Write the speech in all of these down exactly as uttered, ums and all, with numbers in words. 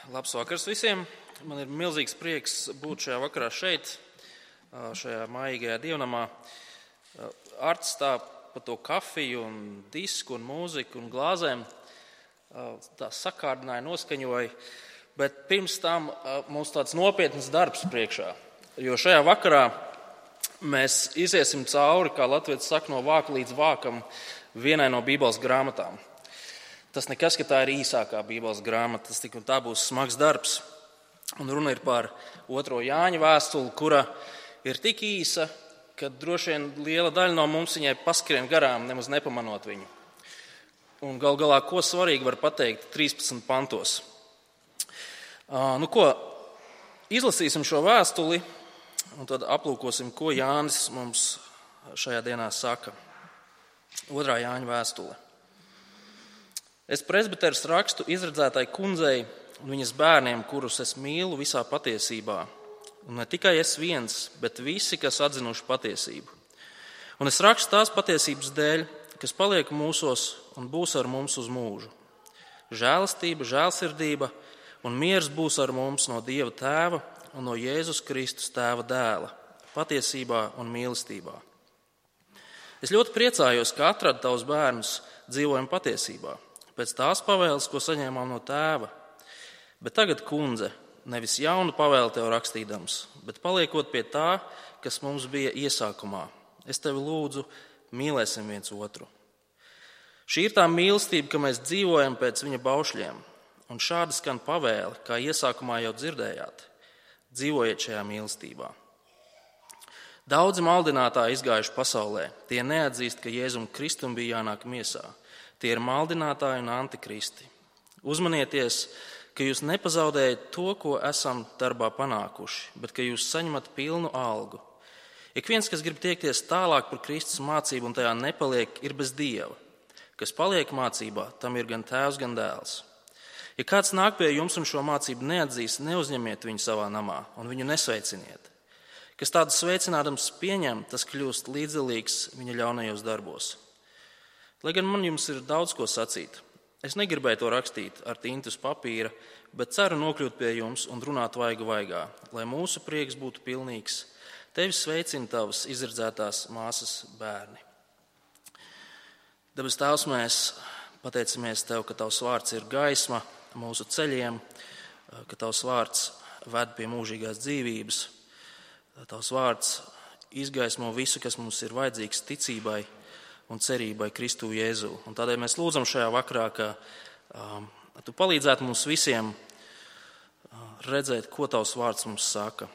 Labs vakars visiem! Man ir milzīgs prieks būt šajā vakarā šeit, šajā maigajā dievnamā. Arts tā pa to kafiju un disku un mūziku un glāzēm tā sakārdināja, noskaņoja, bet pirms tam mums tāds nopietns darbs priekšā, jo šajā vakarā mēs iziesim cauri, kā latvietis saka, no vāka līdz vākam vienai no Bībeles grāmatām. Tas nekas, ka tā ir īsākā Bībeles grāmata, tas tik un tā būs smags darbs. Un runa ir par otro Jāņa vēstuli, kura ir tik īsa, ka droši vien liela daļa no mums viņai paskrien garām, nemaz nepamanot viņu. Un gal galā, ko svarīgi var pateikt trīspadsmit pantos. Uh, nu ko, izlasīsim šo vēstuli un tad aplūkosim, ko Jānis mums šajā dienā saka. Otrā Jāņa vēstule. Es presbiteris rakstu izredzētai kundzei un viņas bērniem, kurus es mīlu visā patiesībā. Un ne tikai es viens, bet visi, kas atzinuši patiesību. Un es rakstu tās patiesības dēļ, kas paliek mūsos un būs ar mums uz mūžu. Žēlastība, žēlsirdība un miers būs ar mums no Dieva Tēva un no Jēzus Kristus Tēva dēla, patiesībā un mīlestībā. Es ļoti priecājos, ka atradu tavus bērnus dzīvojam patiesībā. Pēc tās pavēles, ko saņēmām no tēva. Bet tagad, kundze, nevis jaunu pavēli tev rakstīdams, bet paliekot pie tā, kas mums bija iesākumā. Es tevi lūdzu, mīlēsim viens otru. Šī ir tā mīlestība, ka mēs dzīvojam pēc viņa baušļiem, un šādi skan pavēle, kā iesākumā jau dzirdējāt. Dzīvojiet šajā mīlestībā. Daudzi maldinātāji izgājuši pasaulē, tie neatzīst, ka Jēzum Kristum bija jānāk miesā. Tie ir maldinātāji un antikristi. Uzmanieties, ka jūs nepazaudējat to, ko esam darbā panākuši, bet ka jūs saņemat pilnu algu. Ik viens, kas grib tiekties tālāk par Kristus mācību un tajā nepaliek, ir bez Dieva. Kas paliek mācībā, tam ir gan tēvs, gan dēls. Ja kāds nāk pie jums un šo mācību neatzīs, neuzņemiet viņu savā namā un viņu nesveiciniet. Kas tādu sveicinādams pieņem, tas kļūst līdzdalīgs viņa ļaunajos darbos. Lai gan man jums ir daudz ko sacīt, es negribēju to rakstīt ar tintu uz papīra, bet ceru nokļūt pie jums un runāt vaiga vaigā, lai mūsu prieks būtu pilnīgs. Tevi sveicina tavas izredzētās māsas bērni. Debes Tēvs, mēs pateicamies Tev, ka Tavs vārds ir gaisma mūsu ceļiem, ka Tavs vārds ved pie mūžīgās dzīvības, Tavs vārds izgaismo visu, kas mums ir vajadzīgs ticībai un cerībai Kristu Jēzu. Un tādēļ mēs lūdzam šajā vakarā, ka um, Tu palīdzētu mums visiem uh, redzēt, ko Tavs vārds mums saka,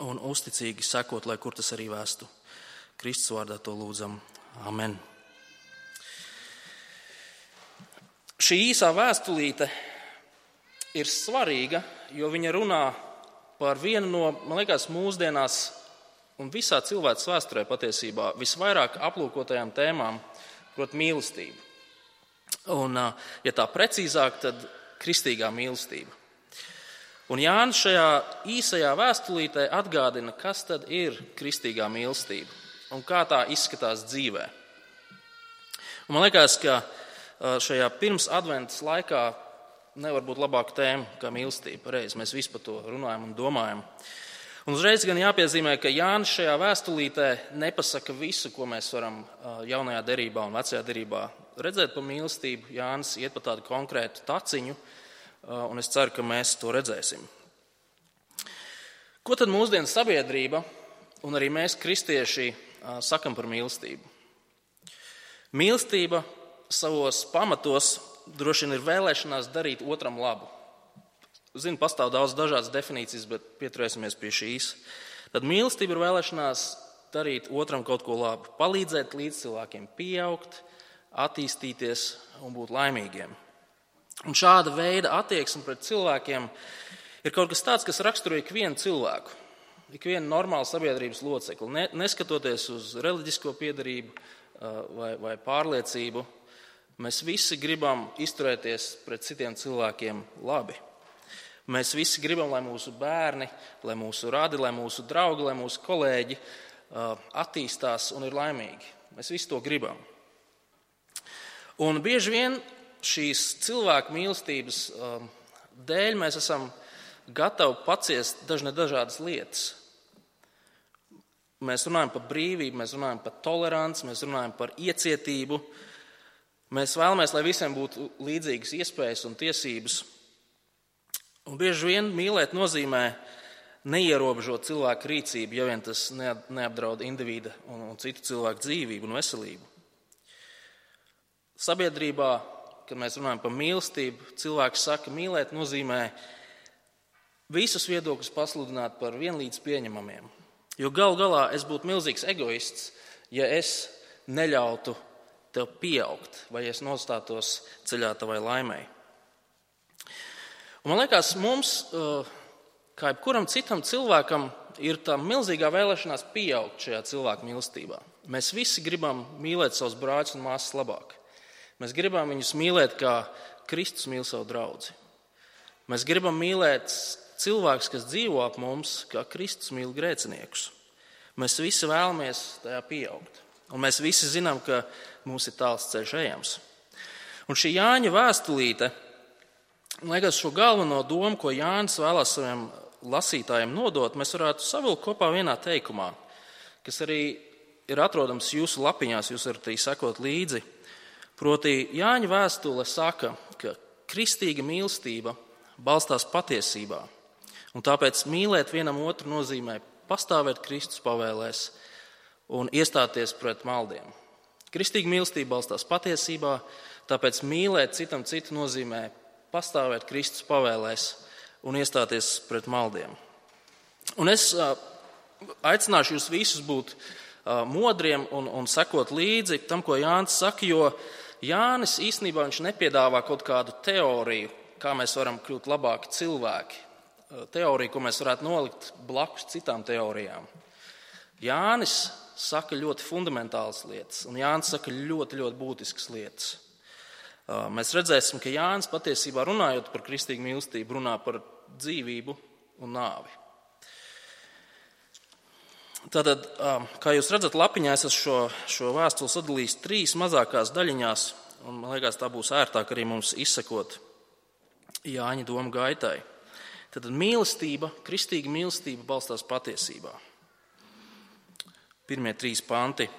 un uzticīgi sekot, lai kur tas arī vēstu. Kristus vārdā to lūdzam. Amen. Šī īsā vēstulīte ir svarīga, jo viņa runā par vienu no, man liekas, mūsdienās un visā cilvēks vēsturē patiesībā visvairāk aplūkotajām tēmām, proti mīlestību. Un, ja tā precīzāk, tad kristīgā mīlestība. Un Jānis šajā īsajā vēstulītē atgādina, kas tad ir kristīgā mīlestība un kā tā izskatās dzīvē. Un man liekas, ka šajā pirms adventas laikā nevar būt labāka tēma kā mīlestība. Reiz mēs visi par to runājam un domājam. Un uzreiz gan jāpiezīmē, ka Jānis šajā vēstulītē nepasaka visu, ko mēs varam jaunajā derībā un vecajā derībā redzēt par mīlestību. Jānis iet pa tādu konkrētu taciņu, un es ceru, ka mēs to redzēsim. Ko tad mūsdienu sabiedrība un arī mēs, kristieši, sakam par mīlestību? Mīlestība savos pamatos droši vien ir vēlēšanās darīt otram labu. Zinu, pastāv daudz dažādas definīcijas, bet pieturēsimies pie šīs. Tad mīlestība ir vēlēšanās darīt otram kaut ko labu, palīdzēt līdz cilvēkiem pieaugt, attīstīties un būt laimīgiem. Un šāda veida attieksme pret cilvēkiem ir kaut kas tāds, kas raksturo ikvienu cilvēku, ikvienu normālu sabiedrības locekli, ne, neskatoties uz reliģisko piedarību vai, vai pārliecību. Mēs visi gribam izturēties pret citiem cilvēkiem labi. Mēs visi gribam, lai mūsu bērni, lai mūsu radi, lai mūsu draugi, lai mūsu kolēģi attīstās un ir laimīgi. Mēs visi to gribam. Un bieži vien šīs cilvēku mīlestības dēļ mēs esam gatavi paciest dažne dažādas lietas. Mēs runājam par brīvību, mēs runājam par toleranci, mēs runājam par iecietību. Mēs vēlamies, lai visiem būtu līdzīgas iespējas un tiesības. Un bieži vien mīlēt nozīmē neierobežot cilvēku rīcību, ja vien tas neapdraud individa un, un citu cilvēku dzīvību un veselību. Sabiedrībā, kad mēs runājam par mīlestību, cilvēks saka, mīlēt nozīmē visus viedokļus pasludināt par vienlīdz pieņemamiem. Jo gal galā es būtu milzīgs egoists, ja es neļautu tev pieaugt, vai es nostātos ceļā tavai laimei. Un man liekas, mums, kā jebkuram citam cilvēkam, ir tā milzīgā vēlēšanās pieaugt šajā cilvēku mīlestībā. Mēs visi gribam mīlēt savus brāļus un māsas labāk. Mēs gribam viņus mīlēt, kā Kristus mīl savu draudzi. Mēs gribam mīlēt cilvēkus, kas dzīvo ap mums, kā Kristus mīl grēciniekus. Mēs visi vēlamies tajā pieaugt. Un mēs visi zinām, ka mums ir tāls ceļš ejams. Un šī Jāņa vēstulīte, man liekas, šo galveno domu, ko Jānis vēlās saviem lasītājiem nodot, mēs varētu savilkt kopā vienā teikumā, kas arī ir atrodams jūsu lapiņās, jūs varat arī sekot līdzi. Proti, Jāņa vēstule saka, ka kristīga mīlestība balstās patiesībā. Un tāpēc mīlēt vienam otru nozīmē pastāvēt Kristus pavēlēs un iestāties pret maldiem. Kristīga mīlestība balstās patiesībā, tāpēc mīlēt citam citu nozīmē pastāvēt Kristus pavēlēs un iestāties pret maldiem. Un es aicināšu jūs visus būt modriem un, un sekot līdzi tam, ko Jānis saka, jo Jānis īstenībā viņš nepiedāvā kaut kādu teoriju, kā mēs varam kļūt labāki cilvēki. Teoriju, ko mēs varētu nolikt blakus citām teorijām. Jānis saka ļoti fundamentālas lietas, un Jānis saka ļoti, ļoti būtiskas lietas. Mēs redzēsim, ka Jānis patiesībā runājot par kristīgu mīlestību, runā par dzīvību un nāvi. Tātad, kā jūs redzat lapiņā, es esmu šo, šo vēstuli sadalījis trīs mazākās daļiņās, un man liekas, tā būs ērtāk arī mums izsekot Jāņa domu gaitai. Tātad mīlestība, kristīga mīlestība balstās patiesībā. Pirmie trīs panti,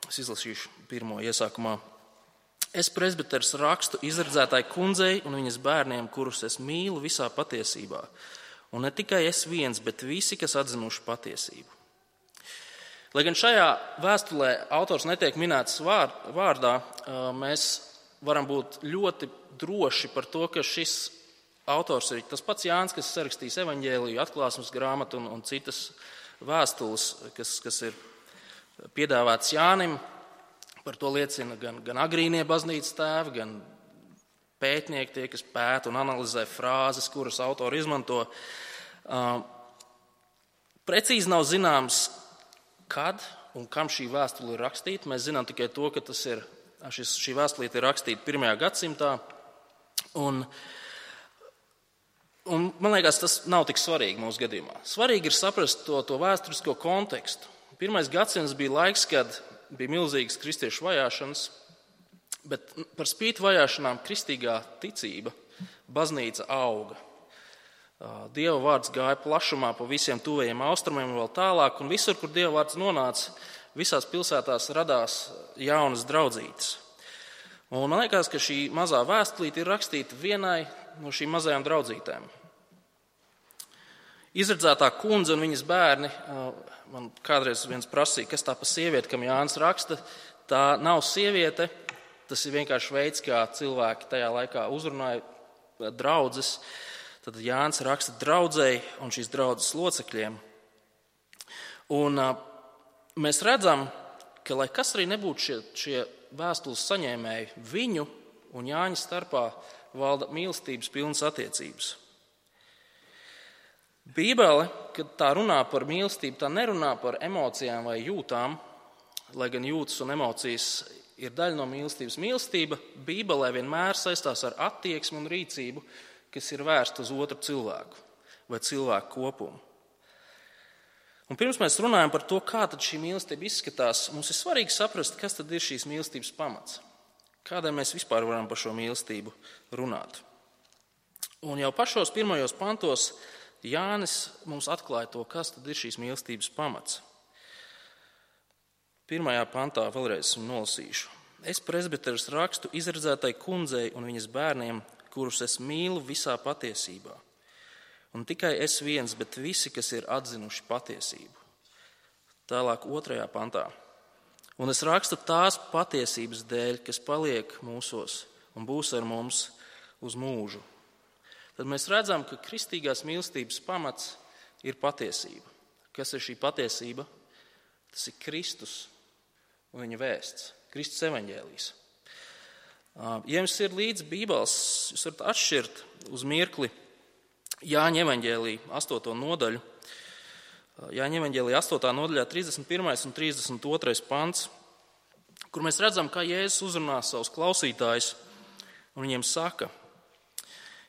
es izlasīšu pirmo iesākumā. Es presbiters rakstu izredzētāji kundzei un viņas bērniem, kurus es mīlu visā patiesībā. Un ne tikai es viens, bet visi, kas atzinuši patiesību. Lai gan šajā vēstulē autors netiek minēts vārdā, mēs varam būt ļoti droši par to, ka šis autors ir tas pats Jānis, kas sarakstīs evaņģēliju, atklāsmes grāmatu un, un citas vēstules, kas, kas ir piedāvāts Jānim. Par to liecina gan, gan agrīnie baznīcas tēvi, gan pētnieki, tie, kas pēta un analizē frāzes, kuras autori izmanto. Uh, precīzi nav zināms, kad un kam šī vēstule ir rakstīta. Mēs zinām tikai to, ka tas ir, šis, šī vēstulīte ir rakstīta pirmajā gadsimtā. Un, un man liekas, tas nav tik svarīgi mūsu gadījumā. Svarīgi ir saprast to, to vēsturisko kontekstu. Pirmais gadsimts bija laiks, kad bija milzīgas kristiešu vajāšanas, bet par spīti vajāšanām kristīgā ticība, baznīca auga. Dieva vārds gāja plašumā pa visiem tuvajiem austrumiem un vēl tālāk, un visur, kur Dieva vārds nonāca, visās pilsētās radās jaunas draudzītes. Un man liekas, ka šī mazā vēstulīte ir rakstīta vienai no šīm mazajām draudzītēm. Izredzētā kundze un viņas bērni, man kādreiz viens prasīja, kas tā pa sievieti, kam Jānis raksta, tā nav sieviete, tas ir vienkārši veids, kā cilvēki tajā laikā uzrunāja draudzes. Tad Jānis raksta draudzei un šīs draudzes locekļiem. Un mēs redzam, ka lai kas arī nebūtu šie, šie vēstules saņēmēji, viņu un Jāņa starpā valda mīlestības pilnas attiecības. Bībele, kad tā runā par mīlestību, tā nerunā par emocijām vai jūtām, lai gan jūtas un emocijas ir daļa no mīlestības. Mīlestība Bībelē vienmēr saistās ar attieksmi un rīcību, kas ir vērsta uz otru cilvēku vai cilvēku kopumu. Un pirms mēs runājam par to, kā tad šī mīlestība izskatās, mums ir svarīgi saprast, kas tad ir šīs mīlestības pamats. Kādēļ mēs vispār varam par šo mīlestību runāt. Un jau pašos pirmajos pantos Jānis mums atklāja to, kas tad ir šīs mīlestības pamats. Pirmajā pantā vēlreiz nolasīšu. Es presbiteris rakstu izredzētai kundzei un viņas bērniem, kurus es mīlu visā patiesībā. Un tikai es viens, bet visi, kas ir atzinuši patiesību. Tālāk otrajā pantā. Un es rakstu tās patiesības dēļ, kas paliek mūsos un būs ar mums uz mūžu. Tad mēs redzam, ka kristīgās mīlestības pamats ir patiesība. Kas ir šī patiesība? Tas ir Kristus un viņa vēsts, Kristus evaņģēlijs. Ja jums ir līdz Bībeles, jūs varat atšķirt uz mirkli Jāņa evaņģēlija astoto nodaļu. Jāņa evaņģēlija astotā nodaļā trīsdesmit pirmais un trīsdesmit otrais pants, kur mēs redzam, kā Jēzus uzrunā savus klausītājus un viņiem saka: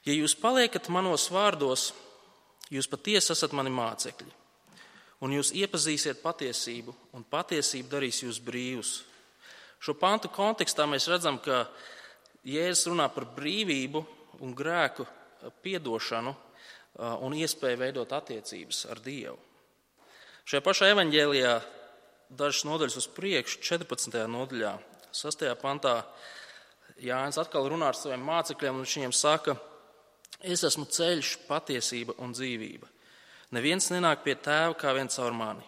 ja jūs paliekat manos vārdos, jūs patiesi esat mani mācekļi, un jūs iepazīsiet patiesību, un patiesība darīs jūs brīvus. Šo pantu kontekstā mēs redzam, ka Jēzus runā par brīvību un grēku piedošanu un iespēju veidot attiecības ar Dievu. Šajā pašā evaņģēlijā dažas nodaļas uz priekšu, četrpadsmitajā nodaļā, sastajā pantā, Jānis atkal runā ar saviem mācekļiem, un viņš viņiem saka: es esmu ceļš, patiesība un dzīvība. Neviens nenāk pie tēva kā vien caur mani.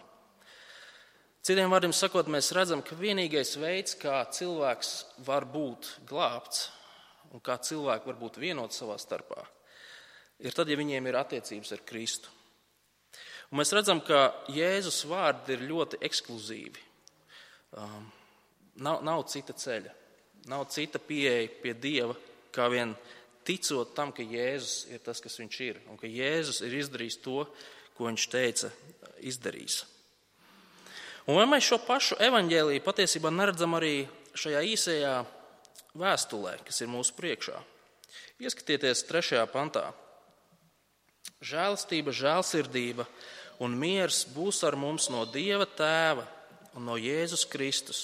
Citiem vārdiem sakot, mēs redzam, ka vienīgais veids, kā cilvēks var būt glābts un kā cilvēki var būt vienoti savā starpā, ir tad, ja viņiem ir attiecības ar Kristu. Un mēs redzam, ka Jēzus vārdi ir ļoti ekskluzīvi. Um, nav, nav cita ceļa, nav cita pieeja pie Dieva, kā vien ticot tam, ka Jēzus ir tas, kas viņš ir, un ka Jēzus ir izdarījis to, ko viņš teica, izdarīs. Un vai mēs šo pašu evaņģēliju patiesībā neredzam arī šajā īsajā vēstulē, kas ir mūsu priekšā? Ieskatieties trešajā pantā. Žēlastība, žēlsirdība un miers būs ar mums no Dieva Tēva un no Jēzus Kristus,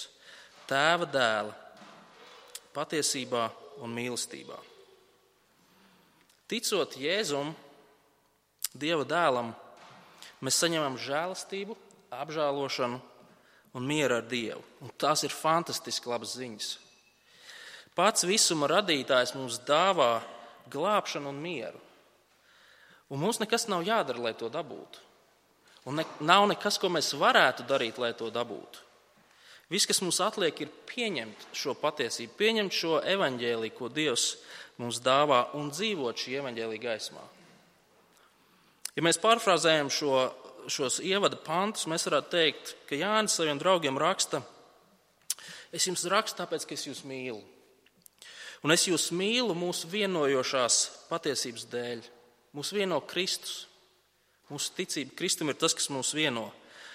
Tēva dēla, patiesībā un mīlestībā. Ticot Jēzum, Dieva dēlam, mēs saņemam žēlastību, apžēlošanu un mieru ar Dievu. Un tās ir fantastiski labas ziņas. Pats visuma radītājs mums dāvā glābšanu un mieru. Un mums nekas nav jādara, lai to dabūtu. Un ne, nav nekas, ko mēs varētu darīt, lai to dabūtu. Viss, kas mums atliek, ir pieņemt šo patiesību, pieņemt šo evaņģēliju, ko Dievs mums dāvā, un dzīvot šī evaņģēlija gaismā. Ja mēs pārfrāzējam šo, šos ievada pantus, mēs varētu teikt, ka Jānis saviem draugiem raksta: es jums rakstu tāpēc, ka es jūs mīlu. Un es jūs mīlu mūsu vienojošās patiesības dēļ. Mūs vieno Kristus. Mūsu ticība Kristum ir tas, kas mūs vieno.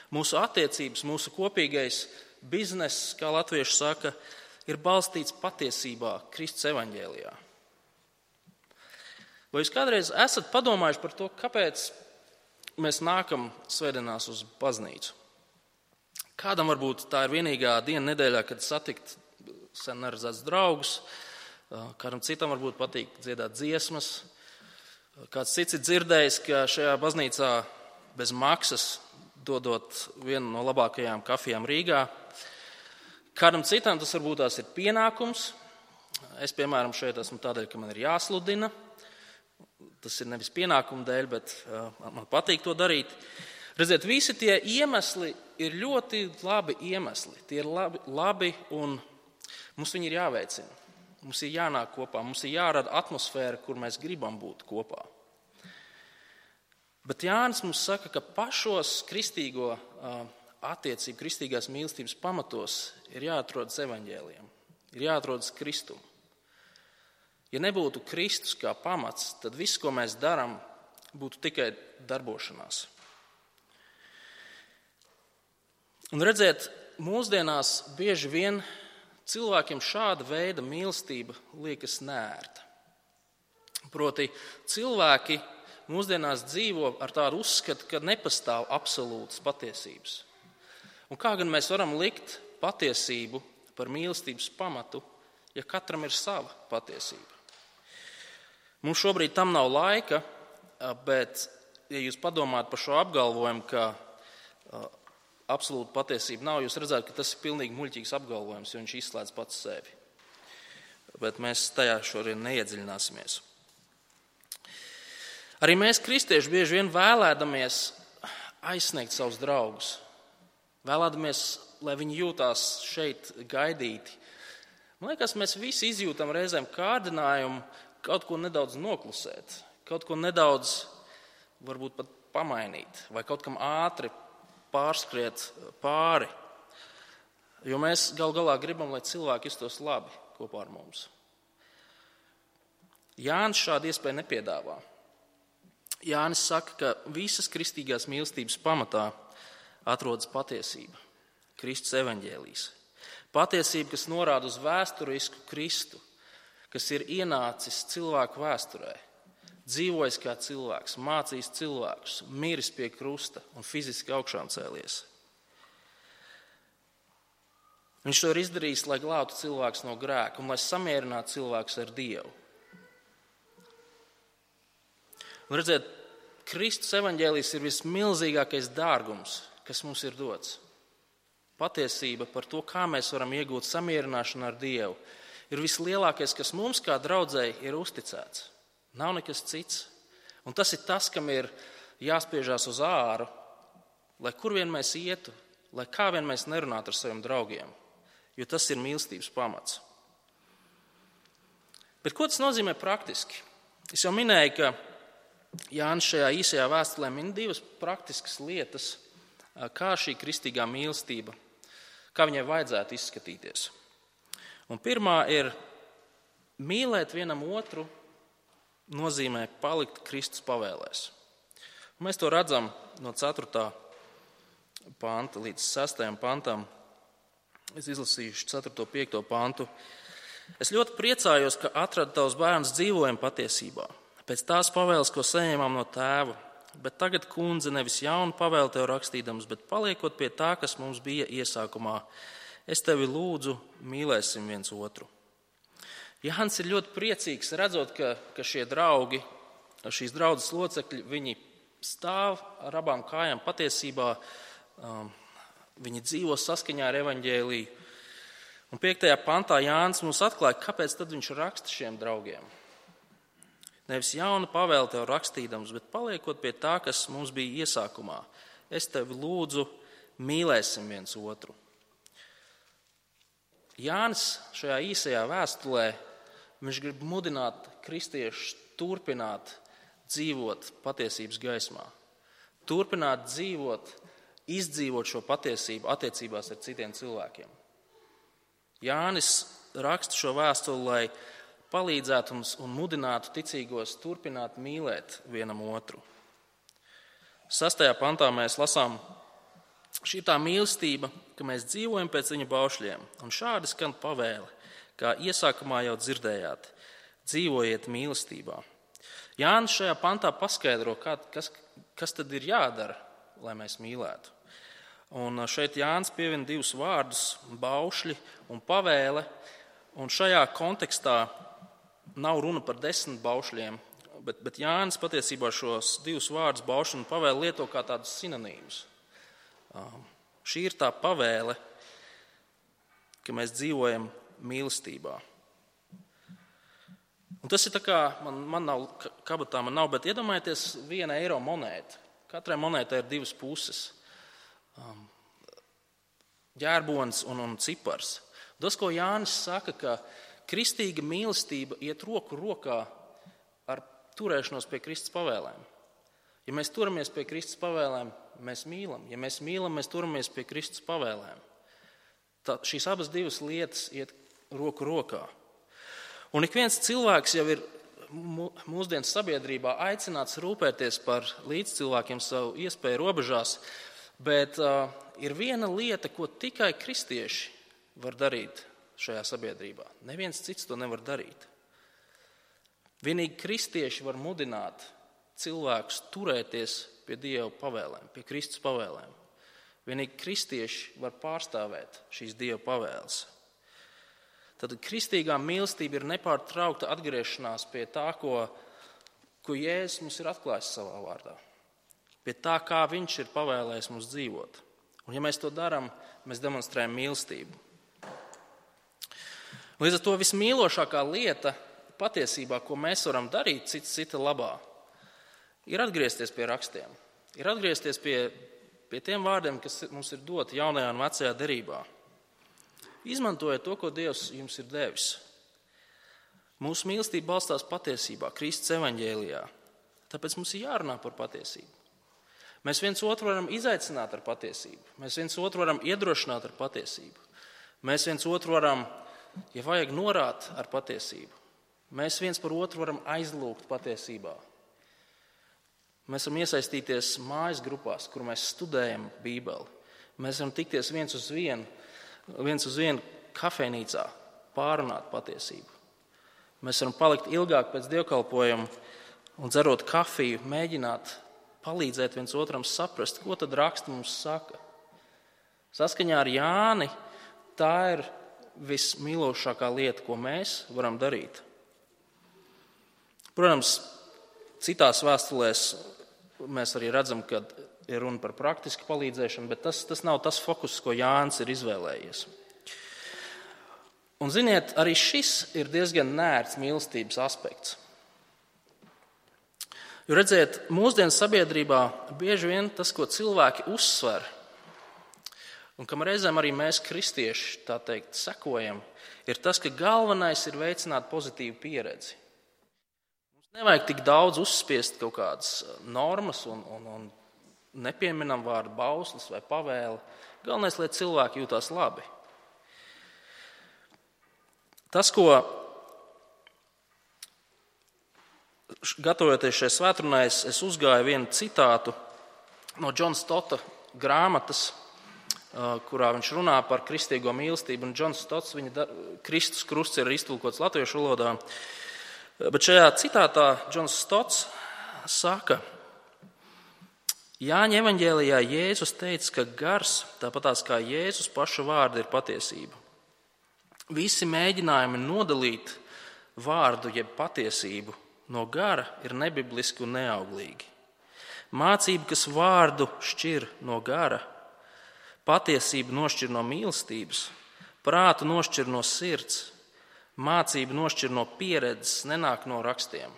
Mūsu attiecības, mūsu kopīgais bizness, kā latvieši saka, ir balstīts patiesībā Kristus evaņģēlijā. Vai jūs kādreiz esat padomājuši par to, kāpēc mēs nākam svētdienās uz baznīcu? Kādam varbūt tā ir vienīgā diena nedēļā, kad satikt sen neredzēts draugus, kādam citam varbūt patīk dziedāt dziesmas. Kāds cits ir dzirdējis, ka šajā baznīcā bez maksas dodot vienu no labākajām kafijām Rīgā. Kādam citam tas varbūt tās ir pienākums. Es, piemēram, šeit esmu tādēļ, ka man ir jāsludina. Tas ir nevis pienākumu dēļ, bet uh, man patīk to darīt. Redziet, visi tie iemesli ir ļoti labi iemesli. Tie ir labi, labi un mums viņi ir jāveicina. Mums ir jānāk kopā, mums ir jārada atmosfēra, kur mēs gribam būt kopā. Bet Jānis mums saka, ka pašos kristīgo uh, attiecību, kristīgās mīlestības pamatos ir jāatrodas evaņģēlijam, ir jāatrodas Kristum. Ja nebūtu Kristus kā pamats, tad viss, ko mēs darām, būtu tikai darbošanās. Un redziet, mūsdienās bieži vien cilvēkiem šāda veida mīlestība liekas neērta. Proti, cilvēki mūsdienās dzīvo ar tādu uzskatu, ka nepastāv absolūtas patiesības. Un kā gan mēs varam likt patiesību par mīlestības pamatu, ja katram ir sava patiesība? Mums šobrīd tam nav laika, bet, ja jūs padomājat par šo apgalvojumu, ka absolūta patiesība nav, jūs redzat, ka tas ir pilnīgi muļķīgs apgalvojums, jo viņš izslēdz pats sevi. Bet mēs tajā šodien neiedziļināsimies. Arī mēs, kristieši, bieži vien vēlēdamies aizsniegt savus draugus, vēlēdamies, lai viņi jūtās šeit gaidīti. Man liekas, mēs visi izjūtam reizēm kārdinājumu kaut ko nedaudz noklusēt, kaut ko nedaudz varbūt pat pamainīt, vai kaut kam ātri pārskriet pāri. Jo mēs gal galā gribam, lai cilvēki justos labi kopā ar mums. Jānis šādu iespēju nepiedāvā. Jānis saka, ka visas kristīgās mīlestības pamatā atrodas patiesība, Kristus evaņģēlijs. Patiesība, kas norāda uz vēsturisku Kristu, kas ir ienācis cilvēku vēsturē, dzīvojis kā cilvēks, mācījis cilvēkus, miris pie krusta un fiziski augšām cēlies. Viņš to ir izdarījis, lai glābtu cilvēkus no grēka un lai samierinātu cilvēkus ar Dievu. Un redziet, Kristus evaņģēlijs ir vismilzīgākais dārgums, kas mums ir dots. Patiesība par to, kā mēs varam iegūt samierināšanu ar Dievu, ir vislielākais, kas mums kā draudzēji ir uzticēts. Nav nekas cits. Un tas ir tas, kam ir jāspiežās uz āru, lai kur vien mēs ietu, lai kā vien mēs nerunātu ar saviem draugiem, jo tas ir mīlestības pamats. Bet ko tas nozīmē praktiski? Es jau minēju, ka Jānis šajā īsajā vēstulē min divas praktiskas lietas, kā šī kristīgā mīlestība, kā viņai vajadzētu izskatīties. Un pirmā ir mīlēt vienam otru nozīmē palikt Kristus pavēlēs. Un mēs to redzam no ceturtā panta līdz sestajam pantam. Es izlasīšu ceturto piekto pantu. Es ļoti priecājos, ka atradu tavus bērnus dzīvojam patiesībā, pēc tās pavēles, ko saņēmām no tēva. Bet tagad, kundze, nevis jaunu pavēli tev rakstīdams, bet paliekot pie tā, kas mums bija iesākumā, es tevi lūdzu, mīlēsim viens otru. Jānis ir ļoti priecīgs, redzot, ka, ka šie draugi, šīs draudzes locekļi, viņi stāv ar abām kājām patiesībā, um, viņi dzīvo saskaņā ar evaņģēliju. Un piektajā pantā Jānis mums atklāja, kāpēc tad viņš raksta šiem draugiem. Nevis jaunu pavēli tev rakstīdams, bet paliekot pie tā, kas mums bija iesākumā. Es tevi lūdzu, mīlēsim viens otru. Jānis šajā īsajā vēstulē, viņš grib mudināt kristiešus turpināt dzīvot patiesības gaismā. Turpināt dzīvot, izdzīvot šo patiesību attiecībās ar citiem cilvēkiem. Jānis raksta šo vēstuli, lai palīdzētu mums un mudinātu ticīgos turpināt mīlēt vienam otru. Sastajā pantā mēs lasām, šī ir tā mīlestība, ka mēs dzīvojam pēc viņa baušļiem, un šādi skan pavēle, kā iesākumā jau dzirdējāt, dzīvojiet mīlestībā. Jānis šajā pantā paskaidro, kā, kas, kas tad ir jādara, lai mēs mīlētu. Un šeit Jānis pievina divus vārdus, baušļi un pavēle, un šajā kontekstā nav runa par desmit baušļiem, bet, bet Jānis patiesībā šos divus vārdus baušļi un pavēle lieto kā tādus sinonīmus. Um, šī ir tā pavēle, ka mēs dzīvojam mīlestībā. Un tas ir tā kā, man, man nav, kabatā man nav, bet iedomājieties viena eiro monēta. Katrai monētai ir divas puses. Um, ģērbonis un, un cipars. Tas, ko Jānis saka, ka kristīga mīlestība iet roku rokā ar turēšanos pie Kristus pavēlēm. Ja mēs turamies pie Kristus pavēlēm, mēs mīlam. Ja mēs mīlam, mēs turamies pie Kristus pavēlēm. Tā, šīs abas divas lietas iet roku rokā. Un ik viens cilvēks jau ir mūsdienas sabiedrībā aicināts rūpēties par līdzcilvēkiem savu iespēju robežās, bet uh, ir viena lieta, ko tikai kristieši var darīt šajā sabiedrībā. Neviens cits to nevar darīt. Vienīgi kristieši var mudināt cilvēkus turēties pie Dieva pavēlēm, pie Kristus pavēlēm. Vienīgi kristieši var pārstāvēt šīs Dieva pavēles. Tad kristīgā mīlestība ir nepārtraukta atgriešanās pie tā, ko ko Jēzus mums ir atklājis savā vārdā. Pie tā, kā viņš ir pavēlējis mums dzīvot. Un ja mēs to darām, mēs demonstrējam mīlestību. Līdz ar to vismīlošākā lieta patiesībā, ko mēs varam darīt cits cita labā, ir atgriezties pie rakstiem. Ir atgriezties pie, pie tiem vārdiem, kas mums ir doti jaunajā un vecajā derībā. Izmantojiet to, ko Dievs jums ir devis. Mūsu mīlestība balstās patiesībā, Kristus evaņģēlijā. Tāpēc mums ir jārunā par patiesību. Mēs viens otru varam izaicināt ar patiesību. Mēs viens otru varam iedrošināt ar patiesību. Mēs viens otru varam, ja vajag, norāt ar patiesību. Mēs viens par otru varam aizlūgt patiesībā. Mēs varam iesaistīties mājas grupās, kur mēs studējam Bībeli. Mēs varam tikties viens uz vienu, viens uz vienu kafejnīcā, pārunāt patiesību. Mēs varam palikt ilgāk pēc dievkalpojuma un dzerot kafiju, mēģināt palīdzēt viens otram saprast, ko tad raksti mums saka. Saskaņā ar Jāni tā ir vismīlošākā lieta, ko mēs varam darīt. Protams, citās vēstulēs mēs arī redzam, ka ir runa par praktisku palīdzēšanu, bet tas, tas nav tas fokus, ko Jānis ir izvēlējies. Un ziniet, arī šis ir diezgan nērts mīlestības aspekts. Jo redziet, mūsdienu sabiedrībā bieži vien tas, ko cilvēki uzsver, un kam reizēm arī mēs kristieši, tā teikt, sekojam, ir tas, ka galvenais ir veicināt pozitīvu pieredzi. Mums nevajag tik daudz uzspiest kaut kādas normas un, un, un nepieminam vārdu bauslis vai pavēle. Galvenais, lai cilvēki jūtās labi. Tas, ko gatavojoties šai svētdienai, es, es uzgāju vienu citātu no Džona Stotta grāmatas, kurā viņš runā par kristīgo mīlestību. Un Džons Stotts, viņa Kristus krusts ir iztulkots latviešu valodā. Bet šajā citātā Džons Stotts saka, Jāņa evaņģēlijā Jēzus teica, ka gars, tāpatās kā Jēzus paša vārda, ir patiesība. Visi mēģinājumi nodalīt vārdu jeb patiesību no gara ir nebibliski un neauglīgi. Mācība, kas vārdu šķir no gara, patiesību nošķir no mīlestības, prātu nošķir no sirds, mācību nošķir no pieredzes, nenāk no rakstiem.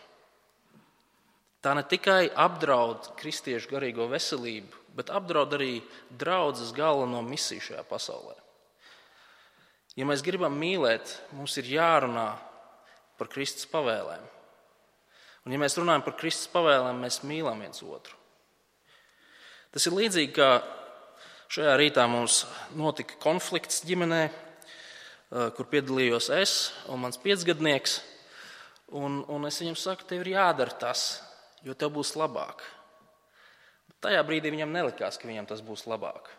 Tā ne tikai apdraud kristiešu garīgo veselību, bet apdraud arī draudzes galveno misiju šajā pasaulē. Ja mēs gribam mīlēt, mums ir jārunā par Kristus pavēlēm. Un ja mēs runājam par Kristus pavēlēm, mēs mīlam viens otru. Tas ir līdzīgi, kā šajā rītā mums notika konflikts ģimenē, kur piedalījos es un mans piecgadnieks. Un, un es viņam saku, tev ir jādara tas, jo tev būs labāk. Bet tajā brīdī viņam nelikās, ka viņam tas būs labāk.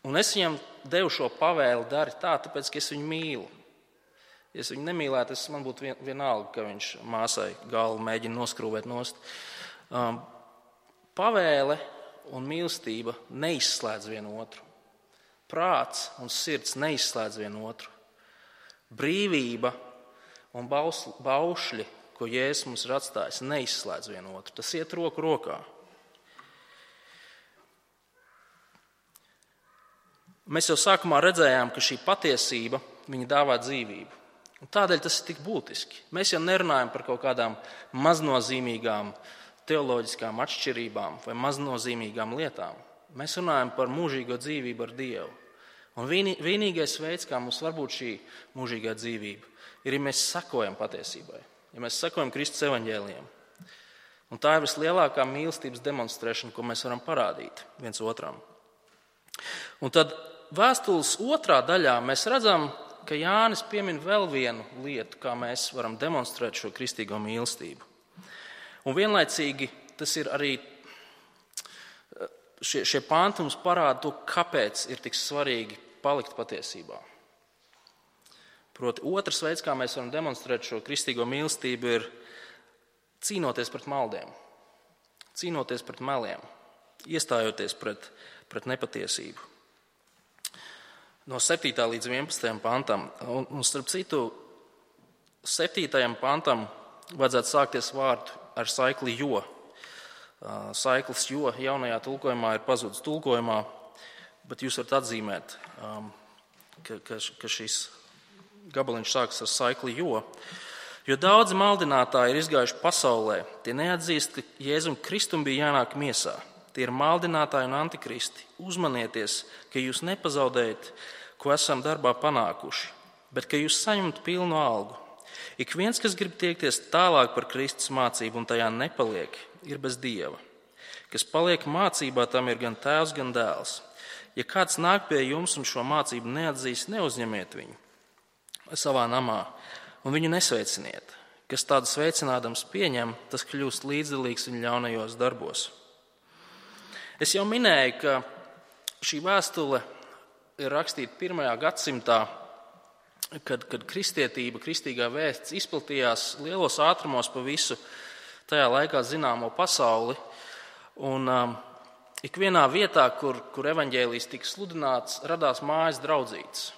Un es viņam devu šo pavēli, dari tā, tāpēc, ka es viņu mīlu. Ja es viņu nemīlētu, es, man būtu vien, vienalga, ka viņš māsai galvu mēģina noskrūvēt nost. Um, pavēle un mīlestība neizslēdz vienu otru. Prāts un sirds neizslēdz vienu otru. Brīvība un bausli, baušļi, ko Jēzus mums ir atstājis, neizslēdz vienu otru. Tas iet roku rokā. Mēs jau sākumā redzējām, ka šī patiesība viņa dāvā dzīvību. Un tādēļ tas ir tik būtiski. Mēs jau nerunājam par kaut kādām maznozīmīgām teoloģiskām atšķirībām vai maznozīmīgām lietām. Mēs runājam par mūžīgo dzīvību ar Dievu. Un vienīgais veids, kā mums var būt šī mūžīgā dzīvība, ir, ja mēs sekojam patiesībai, ja mēs sekojam Kristus evaņģēlijam. Un tā ir vislielākā mīlestības demonstrēšana, ko mēs varam parādīt viens otram. Un tad vēstules otrā daļā mēs redzam, ka Jānis piemin vēl vienu lietu, kā mēs varam demonstrēt šo kristīgo mīlestību. Un vienlaicīgi tas ir arī, šie, šie panti mums parāda to, kāpēc ir tik svarīgi palikt patiesībā. Proti, otrs veids, kā mēs varam demonstrēt šo kristīgo mīlestību, ir cīnoties pret maldiem, cīnoties pret meliem, iestājoties pret, pret nepatiesību. No septītā līdz vienpadsmitajam pantam. Un, un starp citu, septītajam pantam vajadzētu sākties vārdu ar saikli jo. Saiklis jo jaunajā tulkojumā ir pazudis tulkojumā, bet jūs varat atzīmēt, ka, ka, ka šis gabaliņš sākas ar saikli jo. Jo daudzi maldinātāji ir izgājuši pasaulē, tie neatzīst, ka Jēzum Kristum bija jānāk miesā. Tie ir maldinātāji un antikristi. Uzmanieties, ka jūs nepazaudējat, ko esam darbā panākuši, bet ka jūs saņemat pilnu algu. Ik viens, kas grib tiekties tālāk par Kristus mācību un tajā nepaliek, ir bez Dieva. Kas paliek mācībā, tam ir gan tēvs, gan dēls. Ja kāds nāk pie jums un šo mācību neatzīst, neuzņemiet viņu savā namā un viņu nesveiciniet. Kas tādu sveicinādams pieņem, tas kļūst līdzdalīgs viņa ļaunajos darbos. Es jau minēju, ka šī vēstule ir rakstīta pirmajā gadsimtā, kad, kad kristietība, kristīgā vēsts izplatījās lielos ātrumos pa visu tajā laikā zināmo pasauli. Un um, ikvienā vietā, kur, kur evaņģēlijs tika sludināts, radās mājas draudzītes.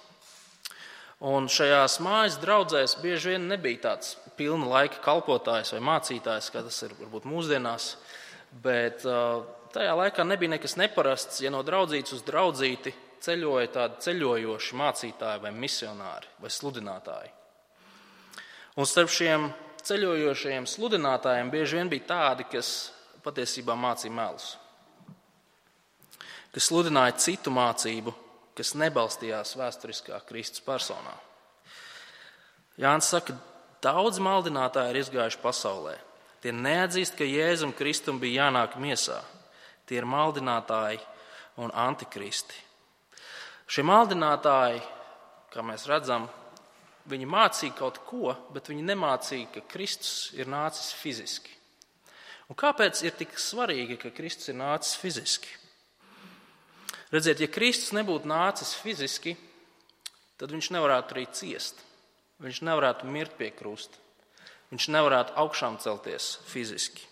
Un šajās mājas draudzēs bieži vien nebija tāds pilna laika kalpotājs vai mācītājs, kā tas ir varbūt mūsdienās, bet uh, tajā laikā nebija nekas neparasts, ja no draudzītes uz draudzīti ceļoja tādi ceļojoši mācītāji vai misionāri vai sludinātāji. Un starp šiem ceļojošajiem sludinātājiem bieži vien bija tādi, kas patiesībā mācīja melus, kas sludināja citu mācību, kas nebalstījās vēsturiskā Kristus personā. Jānis saka, daudz maldinātāji ir izgājuši pasaulē. Tie neatzīst, ka Jēzum Kristum bija jānāk miesā. Tie ir maldinātāji un antikristi. Šie maldinātāji, kā mēs redzam, viņi mācīja kaut ko, bet viņi nemācīja, ka Kristus ir nācis fiziski. Un kāpēc ir tik svarīgi, ka Kristus ir nācis fiziski? Redziet, ja Kristus nebūtu nācis fiziski, tad viņš nevarētu arī ciest. Viņš nevarētu mirt pie krusta. Viņš nevarētu augšām celties fiziski.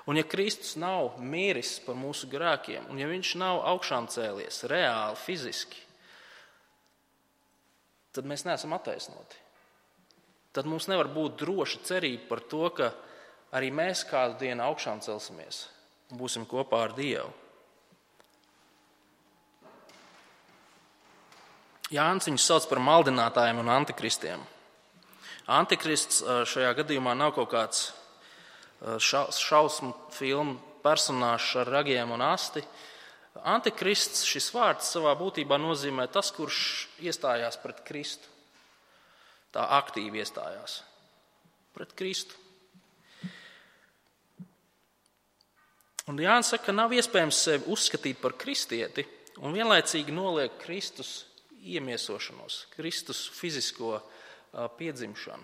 Un ja Kristus nav miris par mūsu grēkiem, un ja viņš nav augšām cēlies reāli, fiziski, tad mēs neesam attaisnoti. Tad mums nevar būt droša cerība par to, ka arī mēs kādu dienu augšām celsimies un būsim kopā ar Dievu. Jānis viņus sauc par maldinātājiem un antikristiem. Antikrists šajā gadījumā nav kaut kāds šausmu filmu personāžs ar ragiem un asti. Antikrists, šis vārds savā būtībā nozīmē tas, kurš iestājās pret Kristu. Tā aktīvi iestājās pret Kristu. Un Jānis saka, ka nav iespējams sevi uzskatīt par kristieti un vienlaicīgi noliek Kristus iemiesošanos, Kristus fizisko piedzimšanu,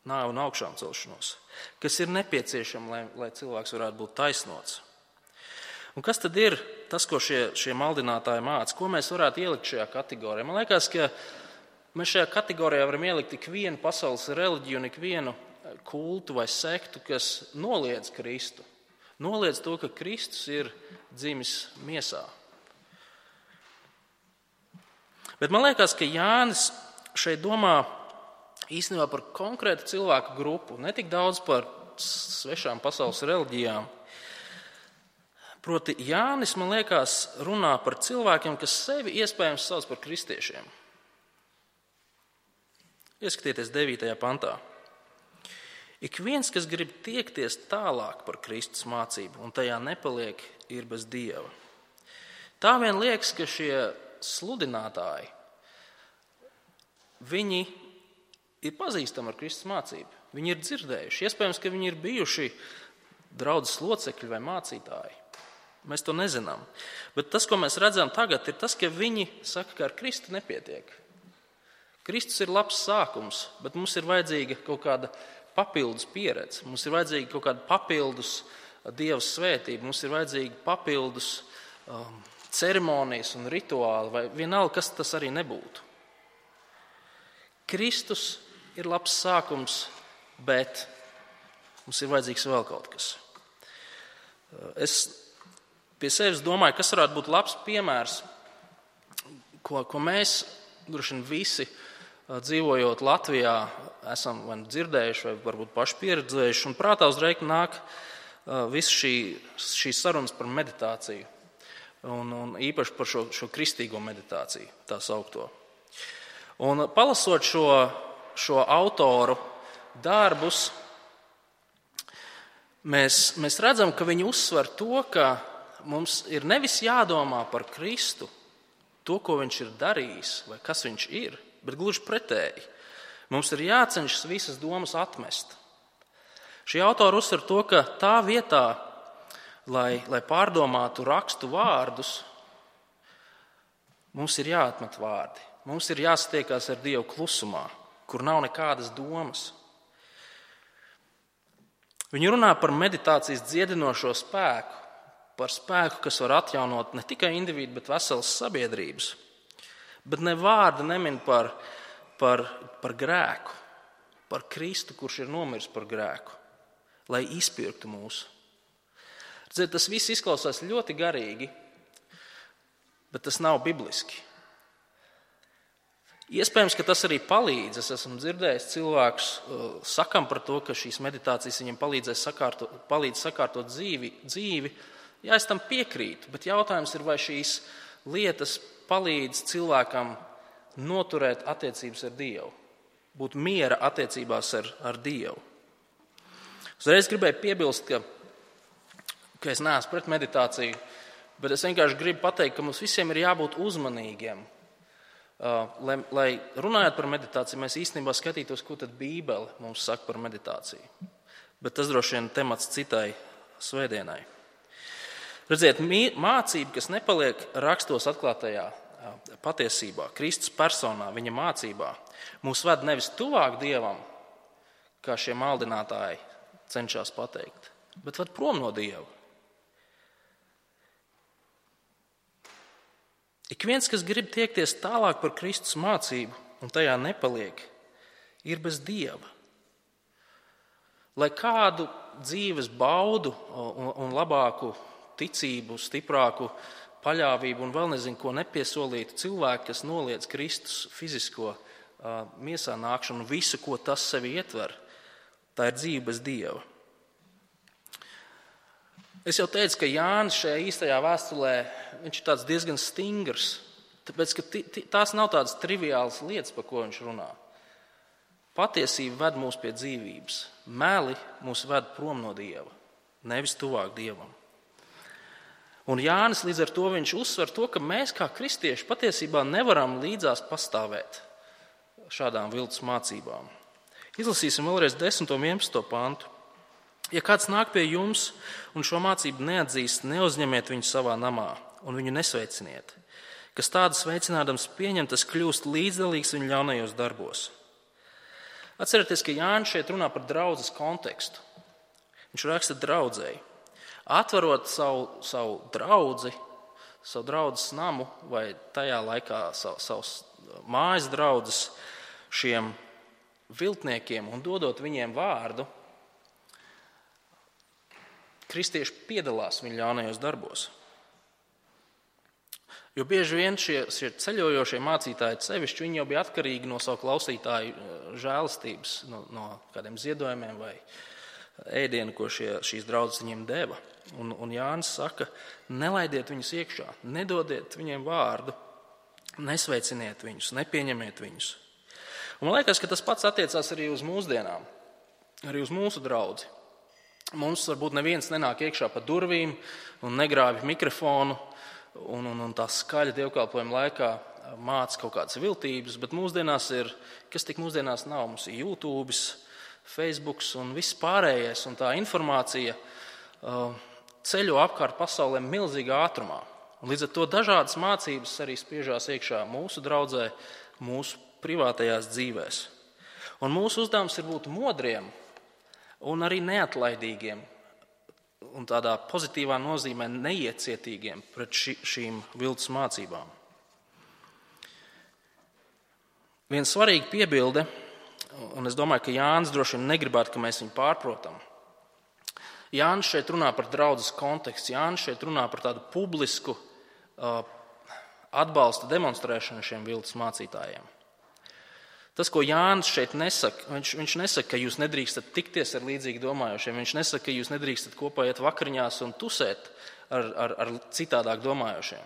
nāvi un augšām celšanos, kas ir nepieciešama, lai, lai cilvēks varētu būt taisnots. Un kas tad ir tas, ko šie, šie maldinātāji māca? Ko mēs varētu ielikt šajā kategorijā? Man liekas, ka mēs šajā kategorijā varam ielikt tik vienu pasaules reliģiju un ik vienu kultu vai sektu, kas noliedz Kristu. Noliedz to, ka Kristus ir dzimis miesā. Bet man liekas, ka Jānis šeit domā īstenībā par konkrētu cilvēku grupu, ne tik daudz par svešām pasaules reliģijām. Proti Jānis, man liekas, runā par cilvēkiem, kas sevi iespējams sauc par kristiešiem. Ieskatieties devītajā pantā. Ik viens, kas grib tiekties tālāk par Kristus mācību un tajā nepaliek, ir bez Dieva. Tā vien liekas, ka šie sludinātāji, viņi ir pazīstami ar Kristus mācību. Viņi ir dzirdējuši. Iespējams, ka viņi ir bijuši draudzes locekļi vai mācītāji. Mēs to nezinām. Bet tas, ko mēs redzam tagad, ir tas, ka viņi saka, ka ar Kristu nepietiek. Kristus ir labs sākums, bet mums ir vajadzīga kaut kāda papildus pieredze. Mums ir vajadzīga kaut kāda papildus Dieva svētība. Mums ir vajadzīga papildus um, ceremonijas un rituāli, vai vienalga, kas tas arī nebūtu. Kristus ir labs sākums, bet mums ir vajadzīgs vēl kaut kas. Es pie sevis domāju, kas varētu būt labs piemērs, ko, ko mēs, droši vien visi, dzīvojot Latvijā, esam vai dzirdējuši, vai varbūt paši pieredzējuši, un prātā uzreiz nāk viss šī, šīs sarunas par meditāciju, un, un īpaši par šo, šo kristīgo meditāciju, tā saukto. Un palasot šo, šo autoru darbus, mēs, mēs redzam, ka viņi uzsver to, ka mums ir nevis jādomā par Kristu, to, ko viņš ir darījis, vai kas viņš ir, bet gluži pretēji. Mums ir jācenšas visas domas atmest. Šī autora uzsver to, ka tā vietā, lai, lai pārdomātu rakstu vārdus, mums ir jāatmet vārdi. Mums ir jāsatiekās ar Dievu klusumā, kur nav nekādas domas. Viņi runā par meditācijas dziedinošo spēku, par spēku, kas var atjaunot ne tikai individu, bet veselas sabiedrības. Bet ne vārda nemin par, par, par grēku, par Kristu, kurš ir nomiris par grēku, lai izpirktu mūsu. Redziet, tas viss izklausās ļoti garīgi, bet tas nav bibliski. Iespējams, ka tas arī palīdz. Es esmu dzirdējis cilvēkus sakam par to, ka šīs meditācijas viņiem palīdzēs sakārtot, palīdz sakārtot dzīvi, dzīvi. Jā, es tam piekrītu, bet jautājums ir, vai šīs lietas palīdz cilvēkam noturēt attiecības ar Dievu, būt miera attiecībās ar, ar Dievu. Uzreiz gribēju piebilst, ka, ka es neesmu pret meditāciju, bet es vienkārši gribu pateikt, ka mums visiem ir jābūt uzmanīgiem. Uh, lai, lai runājot par meditāciju, mēs īstenībā skatītos, ko tad Bībele mums saka par meditāciju. Bet tas droši vien temats citai svētdienai. Redziet, mācība, kas nepaliek rakstos atklātajā patiesībā, Kristus personā, viņa mācībā, mūs ved nevis tuvāk Dievam, kā šie maldinātāji cenšas pateikt, bet ved prom no Dieva. Ik viens, kas grib tiekties tālāk par Kristus mācību un tajā nepaliek, ir bez Dieva. Lai kādu dzīves baudu un, un labāku ticību, stiprāku paļāvību un vēl nezinu, ko nepiesolītu cilvēki, kas noliedz Kristus fizisko uh, miesā nākšanu, visu, ko tas sevi ietver, tā ir dzīve bez Dieva. Es jau teicu, ka Jānis šajā īstajā vēstulē, viņš ir tāds diezgan stingrs, tāpēc, ka t- t- tās nav tādas triviālas lietas, par ko viņš runā. Patiesība ved mūs pie dzīvības, meli mūs ved prom no Dieva, nevis tuvāk Dievam. Un Jānis līdz ar to viņš uzsver to, ka mēs kā kristieši patiesībā nevaram līdzās pastāvēt šādām viltus mācībām. Izlasīsim vēlreiz desmito un vienpadsmito pantu. Ja kāds nāk pie jums un šo mācību neatzīst, neuzņemiet viņu savā namā un viņu nesveiciniet. Kas tādu sveicinādams pieņem, tas kļūst līdzdalīgs viņu ļaunajos darbos. Atcerieties, ka Jānis šeit runā par draudzes kontekstu. Viņš raksta draudzēji. Atverot savu, savu draudzi, savu draudzes namu vai tajā laikā savu, savus mājas draudzes šiem viltniekiem un dodot viņiem vārdu, kristieši piedalās viņu ļaunajos darbos. Jo bieži vien šie, šie ceļojošie mācītāji sevišķi, viņi jau bija atkarīgi no savu klausītāju žēlastības, no, no kādiem ziedojumiem vai ēdienu, ko šie, šīs draudzes viņiem deva. Un, un Jānis saka, nelaidiet viņus iekšā, nedodiet viņiem vārdu, nesveiciniet viņus, nepieņemiet viņus. Un man liekas, ka tas pats attiecās arī uz mūsdienām, arī uz mūsu draudzi. Mums varbūt neviens nenāk iekšā pa durvīm un negrāvj mikrofonu un, un, un tā skaļa dievkalpojuma laikā māca kaut kādas viltības, bet mūsdienās ir, kas tik mūsdienās nav, mums ir YouTube, Facebook un viss pārējais, un tā informācija uh, ceļo apkārt pasaulē milzīgā ātrumā. Un līdz ar to dažādas mācības arī spiežās iekšā mūsu draudzē, mūsu privātajās dzīvēs. Un mūsu uzdevums ir būt modriem un arī neatlaidīgiem un tādā pozitīvā nozīmē neiecietīgiem pret ši, šīm viltus mācībām. Viena svarīga piebilde, un es domāju, ka Jānis droši vien negribētu, ka mēs viņu pārprotam. Jānis šeit runā par draudzes kontekstu, Jānis šeit runā par tādu publisku uh, atbalsta demonstrēšanu šiem viltus mācītājiem. Tas, ko Jānis šeit nesaka, viņš, viņš nesaka, ka jūs nedrīkstat tikties ar līdzīgi domājošiem. Viņš nesaka, ka jūs nedrīkstat kopā iet vakariņās un tusēt ar, ar, ar citādāk domājošiem.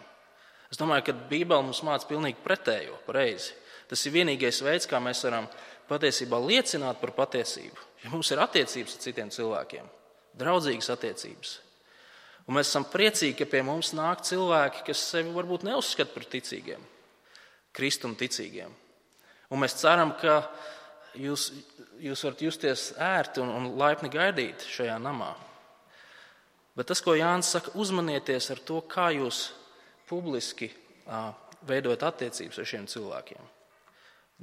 Es domāju, ka Bībele mums māca pilnīgi pretējo, pareizi. Tas ir vienīgais veids, kā mēs varam patiesībā liecināt par patiesību. Ja mums ir attiecības ar citiem cilvēkiem, draudzīgas attiecības. Un mēs esam priecīgi, ka pie mums nāk cilvēki, kas sevi varbūt neuzskata par ticīgiem, Kristum ticīgiem. Un mēs ceram, ka jūs, jūs varat justies ērti un, un laipni gaidīt šajā namā. Bet tas, ko Jānis saka, uzmanieties ar to, kā jūs publiski ā, veidojat attiecības ar šiem cilvēkiem.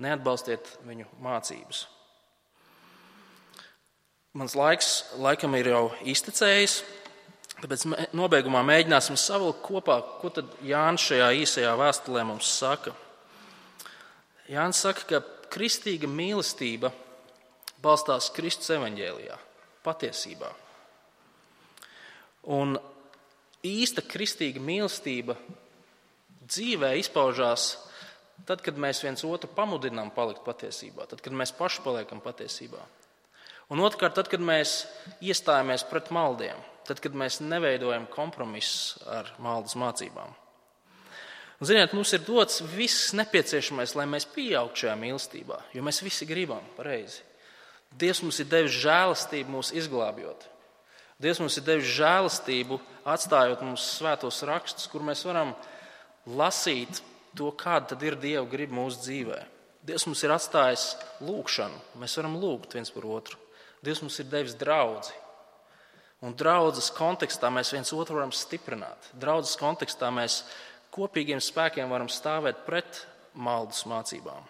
Neatbalstiet viņu mācības. Mans laiks laikam ir jau iztecējis, tāpēc nobeigumā mēģināsim savilkt kopā, ko tad Jānis šajā īsajā vēstulē mums saka. Jānis saka, ka kristīga mīlestība balstās Kristus evaņģēlijā, patiesībā. Un īsta kristīga mīlestība dzīvē izpaužās tad, kad mēs viens otru pamudinām palikt patiesībā, tad, kad mēs paši paliekam patiesībā. Un otrkārt, tad, kad mēs iestājamies pret maldiem, tad, kad mēs neveidojam kompromisus ar maldas mācībām. Un, ziniet, mums ir dots viss nepieciešamais, lai mēs pieaugtu šajā mīlestībā, jo mēs visi gribam pareizi. Dievs mums ir devis žēlastību mūs izglābjot. Dievs mums ir devis žēlastību atstājot mums svētos rakstus, kur mēs varam lasīt to, kāda tad ir Dieva griba mūsu dzīvē. Dievs mums ir atstājis lūgšanu, mēs varam lūgt viens par otru. Dievs mums ir devis draudzi. Un draudzes kontekstā mēs viens otru varam stiprināt. Draudzes kontekstā mēs kopīgiem spēkiem varam stāvēt pret maldas mācībām.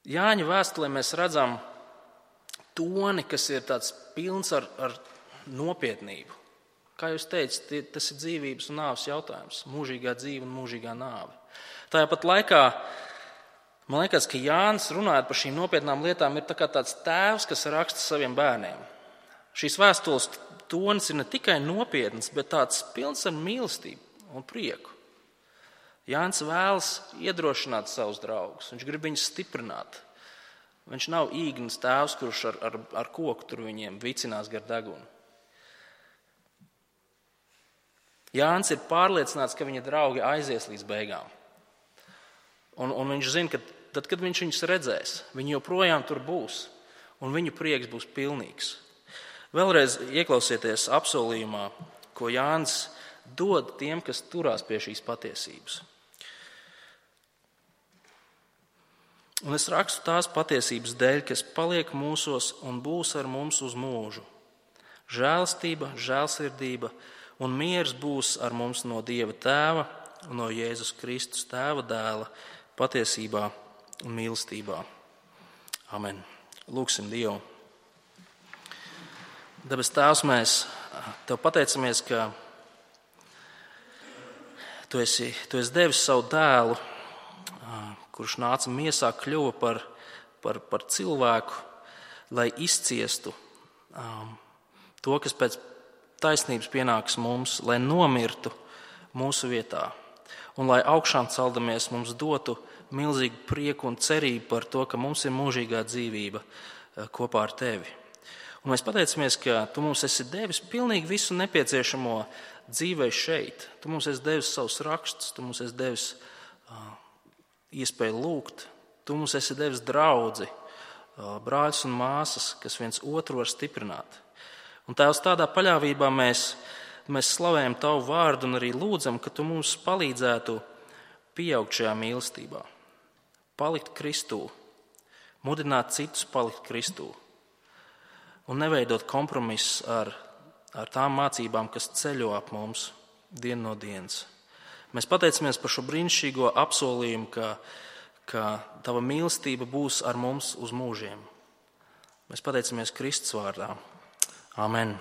Jāņa vēstulē mēs redzam toni, kas ir tāds pilns ar, ar nopietnību. Kā jūs teicat, tas ir dzīvības un nāves jautājums. Mūžīgā dzīve un mūžīgā nāve. Tāpat laikā, man liekas, ka Jānis runājot par šīm nopietnām lietām ir tā kā tāds tēvs, kas raksta saviem bērniem. Šīs vēstules tonis ir ne tikai nopietns, bet tāds pilns ar mīlestību un prieku. Jānis vēlas iedrošināt savus draugus, viņš grib viņus stiprināt. Viņš nav īgnas tēvs, kurš ar, ar, ar koku tur viņiem vicinās gar degunu. Jānis ir pārliecināts, ka viņa draugi aizies līdz beigām. Un, un viņš zina, ka tad, kad viņš viņus redzēs, viņi joprojām tur būs, un viņu prieks būs pilnīgs. Vēlreiz ieklausieties apsolījumā, ko Jānis dod tiem, kas turās pie šīs patiesības. Un es rakstu tās patiesības dēļ, kas paliek mūsos un būs ar mums uz mūžu. Žēlastība, žēlsirdība un miers būs ar mums no Dieva Tēva un no Jēzus Kristus Tēva dēla patiesībā un mīlestībā. Amen. Lūksim Dievu. Debes Tēvs, mēs Tev pateicamies, ka Tu esi, tu esi devis savu dēlu, kurš nāca miesā, kļuva par, par, par cilvēku, lai izciestu um, to, kas pēc taisnības pienāks mums, lai nomirtu mūsu vietā. Un lai augšām celdamies mums dotu milzīgu prieku un cerību par to, ka mums ir mūžīgā dzīvība kopā ar Tevi. Un mēs pateicamies, ka Tu mums esi devis pilnīgi visu nepieciešamo dzīvē šeit. Tu mums esi devis savus rakstus, Tu mums esi devis uh, iespēju lūgt, Tu mums esi devis draudzi, uh, brāļus un māsas, kas viens otru var stiprināt. Un Tēvs, tādā paļāvībā mēs, mēs slavējam Tavu vārdu un arī lūdzam, ka Tu mums palīdzētu pieaugt šajā mīlestībā, palikt Kristū, mudināt citus palikt Kristū un neveidot kompromisus ar, ar tām mācībām, kas ceļo ap mums dienu no dienas. Mēs pateicamies par šo brīnišķīgo apsolījumu, ka, ka Tava mīlestība būs ar mums uz mūžiem. Mēs pateicamies Kristus vārdā. Amen.